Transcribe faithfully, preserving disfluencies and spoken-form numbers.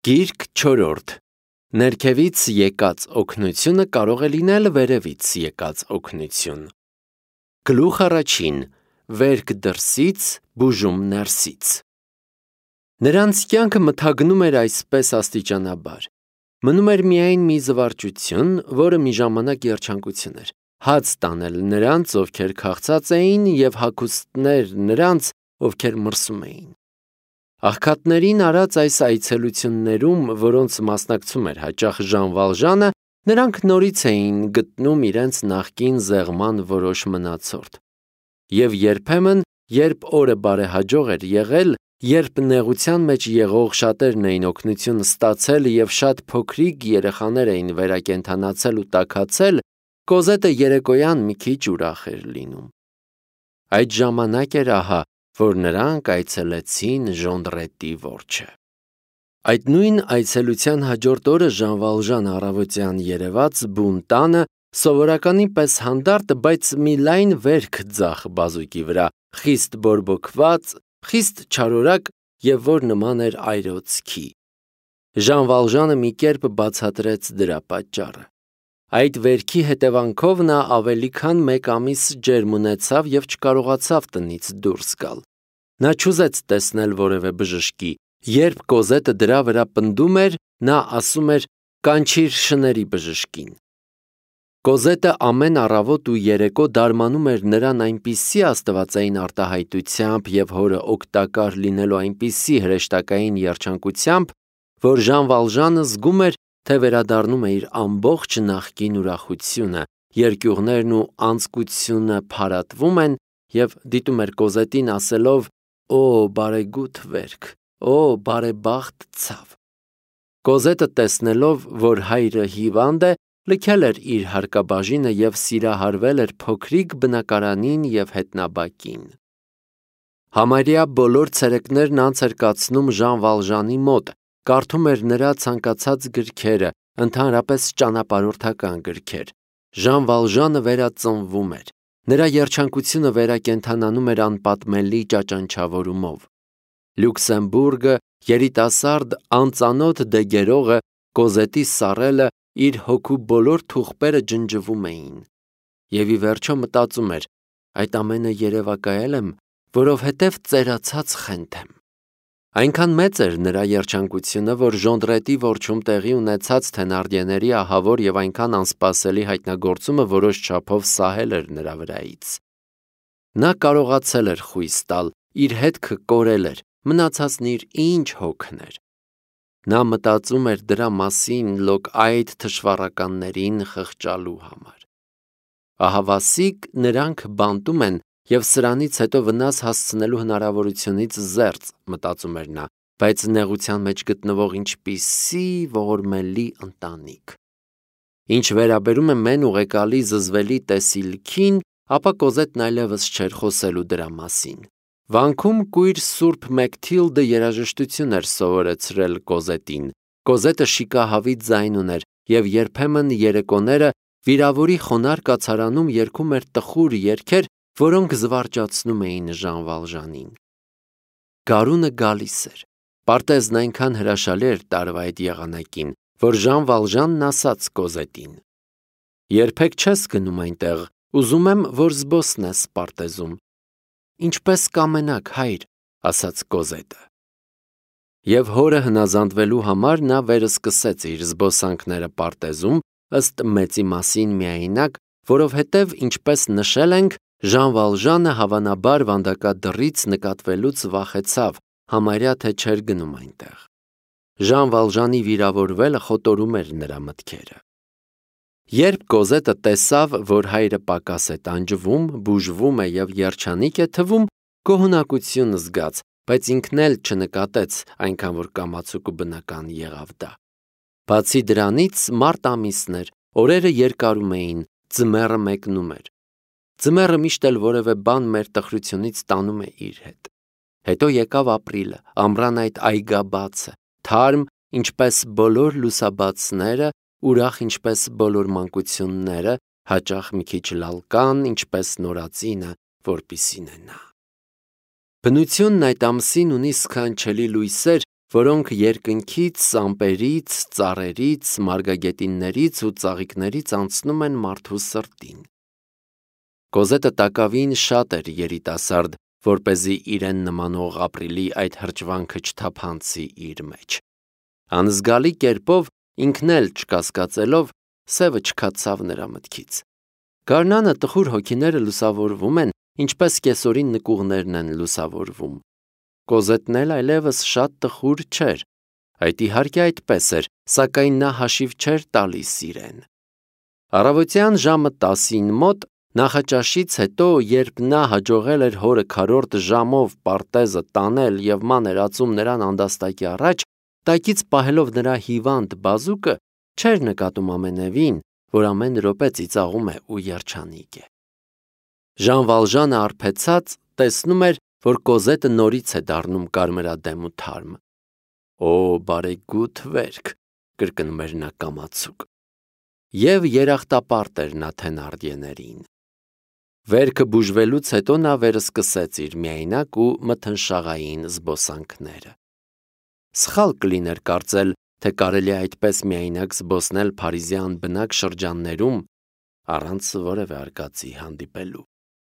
Գիրք չորրորդ. Ներքևից եկած օգնությունը կարող է լինել վերևից եկած օգնություն։ Գլուխ առաջին. Վերք դրսից, բուժում ներսից։ Նրանց կյանքը մթագնում էր այսպես աստիճանաբար։ Մնում էր միայն մի զվարճություն, որը մի ժամանակ երջանկություն էր, հաց տանել նրանց, ովքեր քաղցած էին, և հագուստներ նրանց, ովքեր մրսում էին։ Աղքատներին արած այս այցելություններում, որոնց մասնակցում էր հաճախ Ժան Վալժանը, նրանք նորից էին գտնում իրենց նախկին զեղման որոշ մնացորդ։ Եվ երբեմն, երբ օրը բարեհաջող էր եղել, երբ նեղության մեջ եղող շատերն էին օգնություն ստացել և շատ փոքրիկ երեխաներ էին վերակենդանացել ու տաքացել, Կոզետը երեկոյան մի քիչ ուրախ էր լինում։ Այդ ժամանակ էր ահա, որ նրանք այցելեցին Ժոնդրետի որջը։ Այդ նույն այցելության հաջորդ օրը Ժան Վալժանը առավոտյան երևաց բուն տանը, սովորականի պես հանդարտ, բայց մի լայն վերք ձախ բազուկի վրա, խիստ բորբոքված, խիստ չարորակ և որ նման էր այրոցքի։ Ժան Վալժանը մի կերպ բացատրեց դրա պատճառը։ Այդ վերքի հետևանքով նա ավելի քան մեկ ամիս ջերմ ունեցավ և չկարողացավ տնից դուրս գալ։ Նա չուզեց տեսնել որևէ բժշկի։ Երբ Կոզետը դրա վրա պնդում էր, նա ասում էր. «Կանչիր շների բժշկին»։ Կոզետը ամեն առավոտ ու երեկո դարմանում էր նրան այնպիսի աստվածային արտահայտությամբ և հորը օգտակար լինելու այնպիսի հրեշտակային երջանկությամբ, որ Ժան Վալժանը զգում էր, թե վերադառնում է իր ամբողջ նախկին ուրախությունը, երկյուղներն ու անձկությունը փարատվում են, և դիտում էր Կոզետին ասելով. «Օ, բարեգութ վերք, օ, բարեբախտ ցավ»։ Կոզետը տեսնելով, որ հայրը հիվանդ է, լքել էր իր հարկաբաժինը և սիրահարվել էր փոքրիկ բնակարանին և հետնաբակին։ Համարյա բոլոր ցերեկներն անց էր կացնում Ժան Վալժանի մոտ, կարդում էր նրա ցանկացած գրքերը, ընդհանրապես ճանապարհորդական գրքեր։ Ժան Վալժանը վերածնվում էր։ Նրա երջանկությունը վերակենդանանում էր անպատմելի ճաճանչավորումով։ Լյուքսեմբուրգը, երիտասարդ, անծանոթ դեգերողը, Կոզետի սառելը, իր հոգու բոլոր թուղթերը ջնջվում էին։ Եվ ի վերջո մտածում էր. այդ ամենը երևակայել եմ, որովհետև ծերացած խենթ եմ։ Այնքան մեծ էր նրա երջանկությունը, որ Ժոնդրետի որջում տեղի ունեցած Թենարդիեների ահավոր և այնքան անսպասելի հայտնագործումը որոշ չափով սահել էր նրա վրայից։ Նա կարողացել էր խույս տալ, իր հետքը կորել էր, մնացածն իր ինչ հոգն էր։ Նա մտածում էր դրա մասին լոկ այդ թշվառականներին խղճալու համար։ Ահավասիկ նրանք բանտում են և սրանից հետո վնաս հասցնելու հնարավորությունից զերծ, մտածում էր նա, բայց նեղության մեջ գտնվող ինչպիսի ողորմելի ընտանիք։ Ինչ վերաբերում է մեն ուղեկալի զզվելի տեսիլքին, ապա Կոզետն այլևս չէր խոսելու դրա մասին։ Վանքում կույր Սուրբ Մեքթիլդը երաժշտություն էր սովորեցրել Կոզետին։ Կոզետը շիկահավիտ ձայն ուներ և երբեմն երեկոները վիրավորի խոնարհ կացարանում երգում էր տխուր երգեր, որոնք զվարճացնում էին Ժան Վալժանին։ Գարունը գալիս էր։ Պարտեզն այնքան հրաշալի էր տարվա այդ եղանակին, որ Ժան Վալժանն ասաց Կոզետին. «Երբեք չես գնում այնտեղ, ուզում եմ, որ զբոսնես պարտեզում»։ «Ինչպես կամենաք, հայր», ասաց Կոզետը։ Եվ հորը հնազանդվելու համար նա վերսկսեց իր զբոսանքները պարտեզում, ըստ մեծի մասին միայնակ, որովհետև, ինչպես նշել ենք, Ժան Վալժանը հավանաբար վանդակադրից նկատվելուց վախեցավ, համարյա թե չէր գնում այնտեղ։ Ժան Վալժանի վիրավորվելը խոտորում էր նրա մտքերը։ Երբ Կոզետը տեսավ, որ հայրը պակաս է տանջվում, բուժվում է և երջանիկ է թվում, գոհունակություն զգաց, բայց ինքն էլ չնկատեց, այնքան որ կամացուկ ու բնական եղավ դա։ Բացի դրանից, մարտ ամիսն էր, օրերը երկարում էին, ձմեռը մեկնում էր։ Ձմեռը միշտ էլ որևէ բան մեր տխրությունից տանում է իր հետ։ Հետո եկավ ապրիլը, ամռան այդ այգաբացը, թարմ, ինչպես բոլոր լուսաբացները, ուրախ ինչպես բոլոր մանկությունները, հաճախ մի քիչ լալկան, ինչպես նորածինը, որպիսին է նա։ Բնությունն այդ ամսին ունի սքանչելի լույսեր, որոնք երկնքից, ամպերից, ծառերից, մարգագետիններից ու ծաղիկներից անցնում են մարդու սրտին։ Կոզետը տակավին շատ էր երիտասարդ, որպեսզի իրեն նմանող ապրիլի այդ հրճվանքը չթափանցի իր մեջ։ Անզգալի կերպով ինքն էլ չկասկածելով, սևը չքացավ նրա մտքից։ Գարնանը տխուր հոգիները լուսավորվում են, ինչպես կեսօրին նկուղներն են լուսավորվում։ Կոզետն էլ այլևս շատ տխուր չէր, այդ իհարկե այդպես էր, սակայն նա հաշիվ չէր տալիս իրեն։ Առավոտյան ժամը տասին մոտ նախաճաշից հետո, երբ նա հաջողել էր հորը քառորդ ժամով պարտեզը տանել և ման էր ածում նրան անդաստակի առաջ, տակից պահելով նրա հիվանդ բազուկը, չէր նկատում ամենևին, որ ամեն րոպե ծիծաղում է ու երջանիկ է։ Ժան Վալժանը արբեցած տեսնում էր, որ Կոզետը նորից է դառնում կարմրադեմ ու թարմ։ «Օ, բարեգութ վերք», կրկնում էր նա կամացուկ։ Եվ երախտապարտ էր նա Թենարդիեներին։ Վերքը բուժվելուց հետո նա վերսկսեց իր միայնակ ու մթնշաղային զբոսանքները։ Սխալ կլիներ կարծել, թե կարելի է այդպես միայնակ զբոսնել փարիզյան բնակ շրջաններում, առանց որևէ արկածի հանդիպելու։